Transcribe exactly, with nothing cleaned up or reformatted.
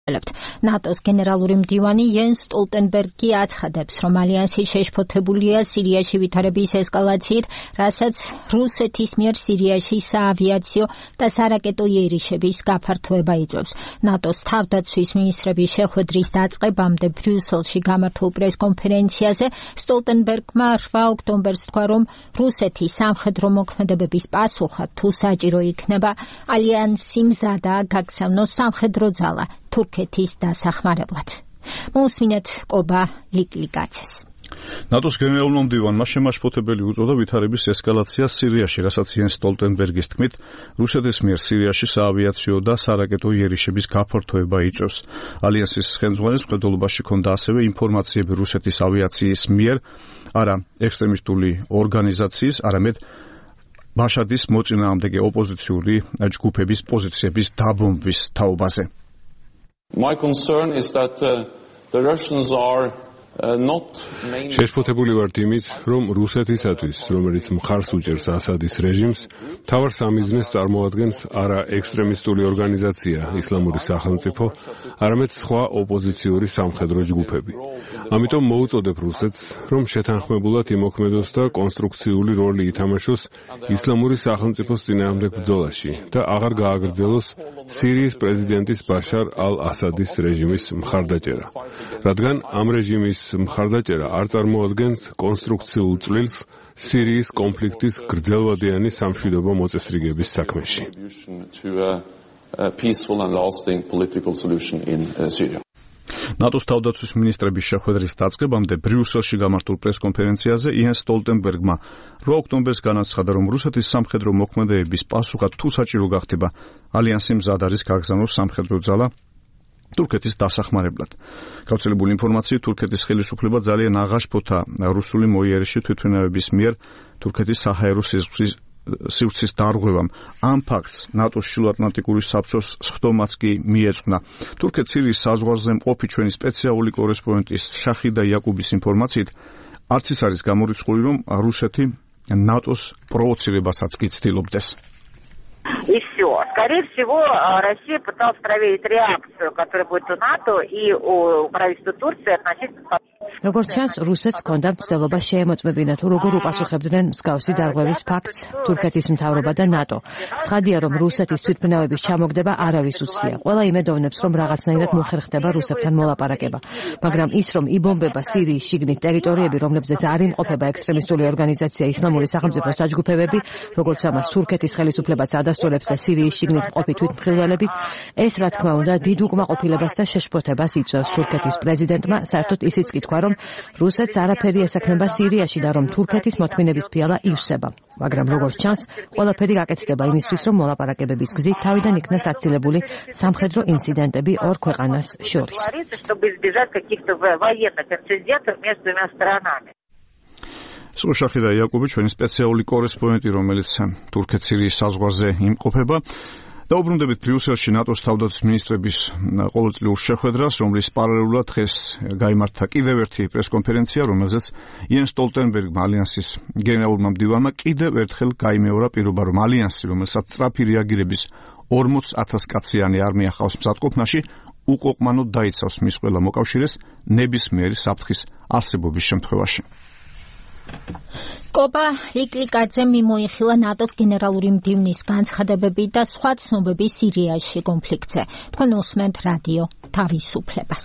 ნატოს გენერალური მდივანი იენს სტოლტენბერგი აცხადებს, რომ ალიანსი შეშფოთებულია სირიაში ვითარების ესკალაციით, რასაც რუსეთის მიერ სირიაში საავიაციო და სარაკეტო იერიშების გაფართოება იწვევს. ნატოს თავდაცვის მინისტრების შეხვედრის დაწყებამდე ბრიუსელში გამართულ პრესკონფერენციაზე სტოლტენბერგმა რვა ოქტომბერს თქვა, რომ რუსეთის სამხედრო მოქმედებების პასუხად თუ საჭირო იქნება, ალიანსი მზადაა გაგზავნოს სამხედრო ძალა თურქეთის დასახმარებლად. მოусმინეთ კობა ლიკლიკაცეს. ნატოს გენერალურმა მდივანმა შემაშფოთებელი უწოდა ვითარების ესკალაციას სირიაში, რასაც იენს სტოლტენბერგის თქმით, რუსეთის მიერ სირიაში საავიაციო და სარაკეტო იერიშების გაფართოება იწვევს. ალიანსის ხელმძღვანელს მხედველობაში ჰქონდა ასევე ინფორმაციები რუსეთის ავიაციის მიერ, არა ექსტრემისტული ორგანიზაციის, არამედ ბაშადის მოწინააღმდეგე ოპოზიციური ჯგუფების პოზიციების დაბომბვის თაობაზე. My concern is that uh, the Russians are uh, not შეშფოთებული ვართ იმით, რომ რუსეთისათვის, რომელიც მხარს უჭერს ასადის რეჟიმს, მთავარ სამიზნეს წარმოადგენს არა ექსტრემისტული ორგანიზაცია ისლამური სახელმწიფო, არამედ სხვა ოპოზიციური სამხედრო ჯგუფები. ამიტომ მოუწოდებ რუსეთს, რომ შეთანხმებულად იმოქმედოს და კონსტრუქციული როლი ითამაშოს ისლამური სახელმწიფოს წინააღმდეგ ბრძოლაში და აღარ გააგრძელოს სირიის პრეზიდენტის ბაშარ ალ-ასადის რეჟიმის მხარდაჭერა, რადგან ამ რეჟიმის მხარდაჭერა არ წარმოადგენს კონსტრუქციულ წვლილს სირიის კონფლიქტის გრძელვადიანი სამშვიდობო მოწესრიგების საქმეში. ნატოს თავდაცვის მინისტრების შეხვედრის დაწყებამდე ბრიუსელში გამართულ პრესკონფერენციაზე იენს სტოლტენბერგმა რვა ოქტომბერს განაცხადა, რომ რუსეთის სამხედრო მოქმედებების პასუხად თუ საჭირო გახდება, ალიანსი მზად არის გაგზავნოს სამხედრო ძალა თურქეთის დასახმარებლად. გავრცელებული ინფორმაციით, თურქეთის ხელისუფლება ძალიან აღაშფოთა რუსული მოიერიში თვითმფრინავების მიერ თურქეთის საჰაერო სივრცის დარღვევამ. ამ ფაქტს ნატოს შილოატლანტიკური საბჭოს სხდომაც კი მიეძღვნა. თურქეთ-სირიის საზღვარზე მყოფი ჩვენი სპეციალური კორესპონდენტის შახიდა იაკუბის ინფორმაციით, არც ის არის გამორიცხული, რომ რუსეთი ნატოს პროვოცირებასაც კი ცდილობდეს. И все. Скорее всего, Россия пыталась проверить реакцию, которая будет у НАТО и у правительства Турции относительно. როგორც ჩანს, რუსეთს ჰქონდა მცდელობა შეემოწმებინა თუ როგორ უპასუხებდნენ მსგავსი დარღვევის ფაქტს თურქეთის მთავრობა და ნატო. ცხადია, რომ რუსეთის თვითმფრინავების ჩამოგდება არავის უცდია. ყველა იმედოვნებს, რომ რაღაცნაირად მოხერხდება რუსებთან მოლაპარაკება. მაგრამ ის, რომ იბომბება სირიის შიგნით ტერიტორიები, რომლებზეც არ იმყოფება ექსტრემისტული ორგანიზაცია ისლამური სახელმწიფოს დაჯგუფებები, როგორც ამას თურქეთის ხელისუფლებაც ადასტურებს და სირიის შიგნით მყოფი თვითმფრინავებით, ეს რა თქმა უნდა დიდ უკმაყოფილებას და შეშფოთებას იწვევს თურქეთის პრეზიდენტმა, საერთოდ ისიც კი თქვა, რომ რუსეთს არაფერი ესაქმება სირიაში და რომ თურქეთის მოთმინების ფიალა ივსება. მაგრამ როგორც ჩანს, ყველაფერი გაკეთდება იმისთვის, რომ მოლაპარაკებების გზით თავიდან იქნას აცილებული სამხედრო ინციდენტები ორ ქვეყანას შორის. სოშახიდა იაკუბი, ჩვენი სპეციალური კორესპონდენტი, რომელიც თურქეთ-სირიის საზღვარზე იმყოფება. დაუბრუნდებით ბრიუსელში ნატოს თავდაცვის მინისტრების ყოველწლიურ შეხვედრას, რომლის პარალელურად დღეს გაიმართა კიდევ ერთი პრესკონფერენცია, რომელზეც იენს სტოლტენბერგმა ალიანსის გენერალურმა მდივანმა კიდევ ერთხელ გაიმეორა პირობა, რომ ალიანსი, რომელსაც სწრაფი რეაგირების ორმოც ათას კაციანი არმია ხავს მზადყოფნაში, უკოყმანოდ დაიცავს მის ყველა მოკავშირეს ნებისმიერი საფრთხის არსებობის შემთხვევაში. კობა ლიკლიკაძემ მიმოიხილა ნატოს გენერალური მდივნის განცხადებები და სხვა ცნობები სირიაში კონფლიქტზე. თქვენ უსმენთ რადიო თავისუფლებას.